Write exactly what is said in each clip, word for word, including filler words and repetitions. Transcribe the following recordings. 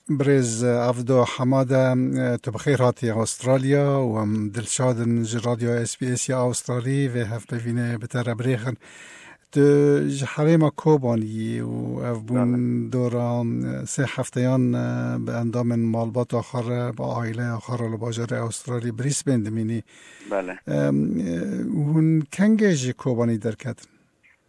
Birêz Avdo Hemade, tu bi xêr hatî Astralya û em dilşad in ji Radyo S B S ya Astralî vê hevpeyvînê bi te re birêxin. Tu ji herêma Kobanî yî û ev bûn Bele. dora sê hefteyan bi endamên malbata xwe re, bi aileya xwe re li bajarê Astralî Brisbane dimînî. Bele. Em, hûn kengê ji Kobanî derketin?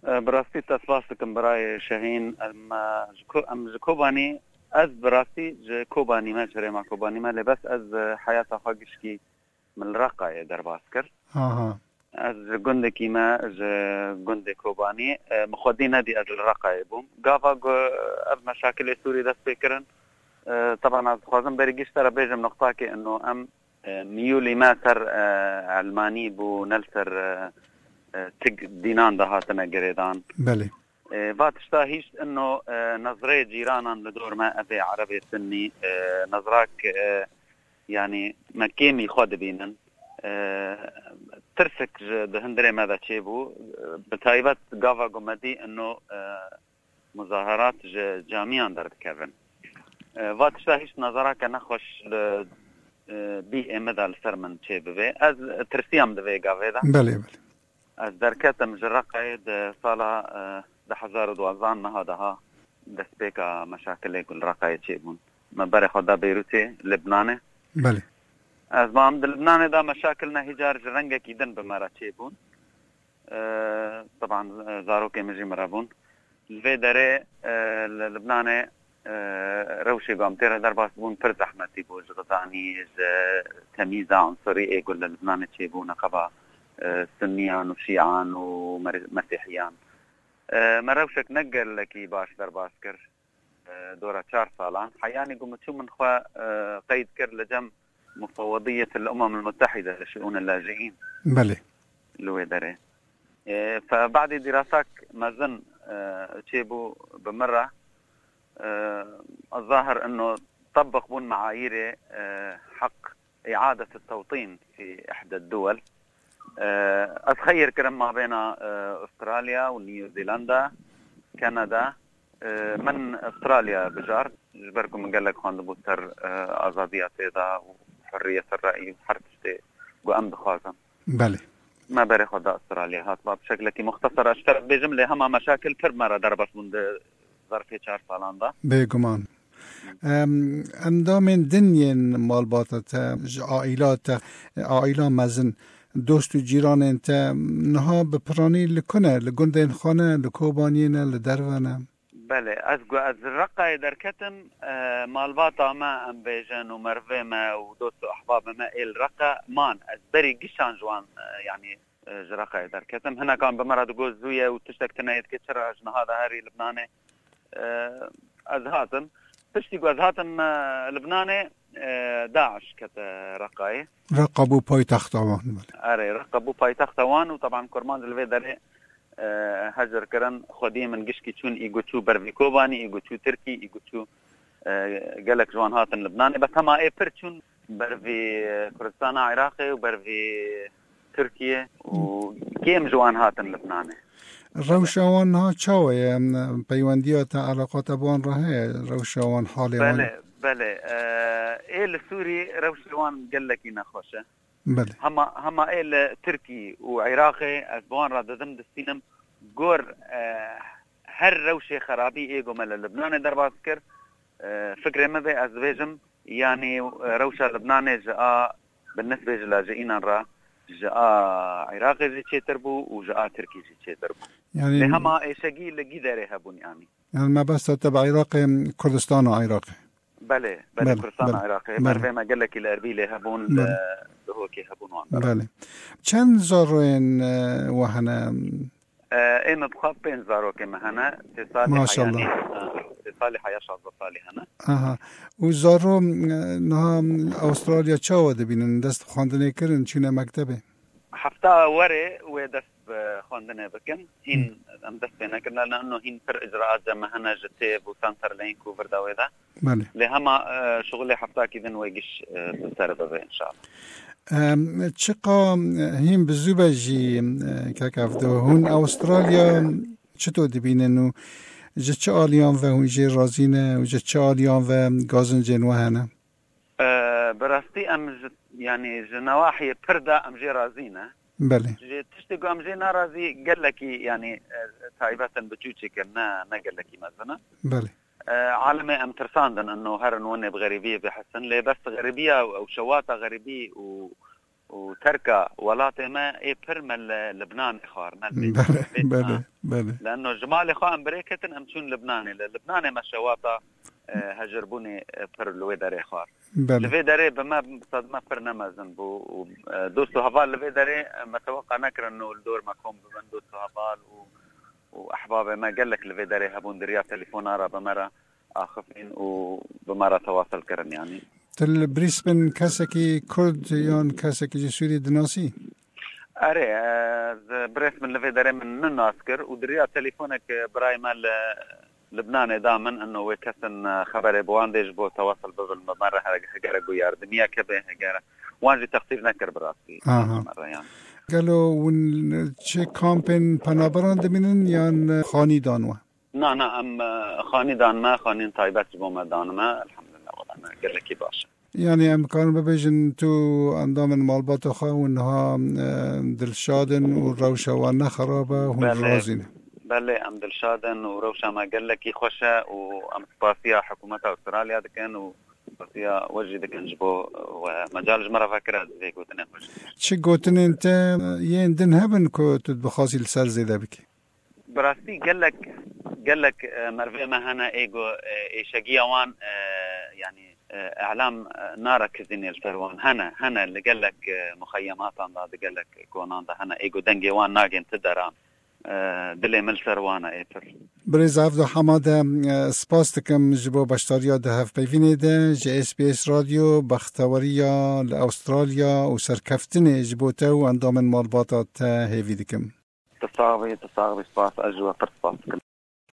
E, bi rastî te spas dikim birayê Şehîn. Em, e, ji Ko-, em ji Kobanî, ez bi rastî ji Kobanî me, ji herêma Kobanî me, lê bes ez, e, heyata xwe gişkî min li Reqayê derbas kir. Aha. Ez ji gundekî me, ji gundê Kobanî, e, min xwedî nedî ez li Reqayê bûm. Gava ku ev meşakilê Sûrî dest pê kirin, e, teban ez dixwazim berî giş te re bêjim nuqtakê ino em, e, miyûlî me ser, e, elmanî bû, ne li ser, e, e, tik dînan de hatine girêdan. Belê. E, va tişta hîşt ino, e, nezrê cîranan li dor me, ev ê erebê sinnî, e, nezrak, e, yanî me kêmî xwe dibînin. E, tirsik ji di hundirê me de çêbû. E, bi taybet gava ku me dî ino, e, muzaherat ji camiyan derdikevin. E, va tişta hîşt nezarake nexweş li, e, bî ê min de li ser min çê bibê. Ez tirsiyam di vê gavê de. Belê, belê. Ez derketim ji Reqayê di sala, e, du hezar û duwazdeh meha daha destpêka meşakilê ku li Reqayê çêbûn. Me berê xwe da Beyrûtê, Libnanê. Belê. Ez mam di Libnanê de meşakil ne hîcar ji rengekî din bi me re çêbûn. E, teban, e, zarokê min jî min re bûn. Li vê derê, e, li Libnanê, e, rewşê ku em tê re derbas bûn pir zehmetî bû ji xizanî, ji temîza unsurî ê ku li Libnanê çêbû neqeba, e, sunniyan û şîan û mer-, mesîhiyan. E, me rewşek ne gelekî baş derbas kir, e, dora çar salan. Heyanî ku min çû min xwe, e, qeyd kir li cem Mufewwediyet el Umem el Muttehide li Şiûn el Laciîn. Belê. Li wê derê. E, fe badî dîrasak mezin, e, çêbû bi min re. E, zahir ino tebq bûn meayîrê, e, heq îadet tewtîn fî ihde duwel. E, ez xeyr kirim mabêna, e, Australya û New Zealand, Kanada. E, min Australya bijart, ji ber ku min gelek xwendibû ser, e, azadiya tê de û hurriyet reyî û her tiştê ku em dixwazin. Belê. Me berê xwe da Australya hat. Ba bi şeklekî muxtesar ez ji te re bêjim, lê hema meşakil pir me re derbas bûn di zerfê çar salan de. Bêguman. Em, endamên din yên malbata te, ji aîla te, aîla mezin, dost û cîranên te niha bi piranî li ku ne? Li gundên xwe ne, li Kobaniyê ne, li derve ne? Belê, ez gu-, ez Reqayê derketim, e, malbata me, em bêjin, û merivê me û dost û ehbabê me ê li Reqe man. Ez berî gişan ji wan, e, yanî, e, ji Reqayê derketim. Hinekan bi me re digot zû ye û tiştek tune ye dike, çira ji niha de herî Libnanê? E, ez hatim. Piştî ku ez hatim, e, Libnanê, e, DAIŞ kete Reqayê. Reqa bû paytexta wan, belê. Erê, Reqa bû paytexta wan û teban kurmanc li vê derê, e, hecir kirin. Xwediyê min gişkî çûn, î ku çû ber vî Kobanî, î ku çû Tirkî, î ku çû, e, gelek ji wan hatin Libnanê. Bes hema ê pir çûn ber vî Kurdistana Iraqê û ber vî Tirkiye û kêm ji wan hatin Libnanê. Rewşa wan niha çawa ye? Em, peywendiya te, eleqa te bi wan re heye? Rewşa wan, halê wan? Belê, belê. E, ê li Sûrî rewşê wan gelekî nexweş e. Belê. Hema, hema ê li Tirkî û Iraqê ez bi wan re didim distînim. Gor, e, her rewşê xerabî ê ku me li Libnanê derbas kir, e, fikrê min vê ez dibêjim, yanî, e, rewşa Libnanê ji a, bi nisbê ji lajînan re, ji a Iraqê jî çêtir bû û ji a Tirkî jî çêtir bû. Yanî lê hema êşegî li gî derê hebûn, yanî. Yanî mebesta te bi Iraqê, Kurdistana Iraqê? Belê, belê, Belê, Kurdistana belê, Iraqê. belê. Merivê me gelekî li Erbîlê hebûn, Belê. li Duhokê hebûn, wan deran. Belê. Çend zaroyên, e, we hene? E, ê min bi xwe pênc zarokê me hene. Sê salî Maşallah. heyanî, e, sê salî heya, şazdeh salî hene. Aha. Û zaro, e, niha Astralya çawa dibînin? Dest xwendinê kirin, çûne mektebê? Hefta werê wê dest bi xwendinê bikin. Hîn Hı. em dest pê nekirine, lê ino hîn pir icraat cem me hene ji têv û Centrelink û vir de wê de. Belê. Lê hema, e, şixulê heftakî din wê giş, e, bi ser bibe, înşallah. Em, çiqa, e, hîn bi zû be jî, e, kek Evdo, hûn Astralya çito dibînin û Ji çi aliyan ve hûn jê razî ne û ji çi aliyan ve gazincên we hene? E, bi rastî em ji, yanî ji newahiyê pir de em jê razî ne. Belê. Ji tiştê ku em jê narazî gelekî, yanî, e, taybet in, biçûçik in, ne, ne gelekî mezin in. Belê. E, alemê em tirsandin, ino herin winê bi xerîbiyê bihisin, lê bes xeribiya ew şewata xerîbî û û terka welatê me ê pir me li Libnanê xwar, ne li Belê, Bêtî, belê, ha. Belê. Leanno ji malê xwe em birêketin, em çûn Libnanê. Li Libnanê me şewata, e, hejirbûnê, e, pir li wê derê xwar. Belê. Li vê derê bi me, bi sedme pir ne mezin bû û, e, dost û heval li vê derê, e, me teweqa nekirin û li dor me kom bibin dost û heval û, û ehbabê me gelek li vê derê hebûn, di riya telefona re bi me re axifîn û bi me re tewasel kirin, yanî. Tu li Brisbane kesekî Kurd yan kesekî ji Sûriyê dinasî? Erê, e, ez Brisbane li vê derê min ninas kir û di riya telefonek, e, birayê me li Libnanê da min, ino wê kesin, e, xeberê bi wan dê ji bo tewasel bibin bi me re, he-, hegere ku yardimiyek hebe, hegere wan jî texsîr nekir bi rastî. Aha. Me re, yanî. Gelo hûn çi kampên penaberan dimînin yan xanî dan we? Na, na, em, e, xanî dan me, xanîn taybet ji bo me dan me. Elhamdulillah, wela me gelekî baş e. Yanî em karin bibêjin tu endamên malbata xwe hûn niha, e, dilşad in û rewşa wan ne xerab e, hûn Belê. razî ne. Belê, em dilşad in û rewşa me gelekî xweş e û em spasiya hikûmeta Astralya dikin û spasiya we jî dikin ji bo we mecal ji me re vekira vê gotinên xwe jî. Çi gotinên te yên din hebin ku tu dibixwazî li ser zêde bikî? Bi rastî gelek, gelek, e, merivê me hene ê ku, e, êşegiya wan, e, yanî, e, îlam, e, nare kizînê li ser wan. Hene, hene li gelek, e, muxeyematan de, di gelek konan de hene ê ku dengê wan nagên ti deran. E, dilê min li ser wan e ê pir. Birêz Evdo Hemade, e, spas dikim ji bo beşdariya di hevpeyvînê de ji S B S Radyo, bexteweriya li Astralya û serkeftinê ji bo te û endamên malbata te hêvî dikim. Tu sax bî, tu sax bî, spas, ez ji we pir spas dikim.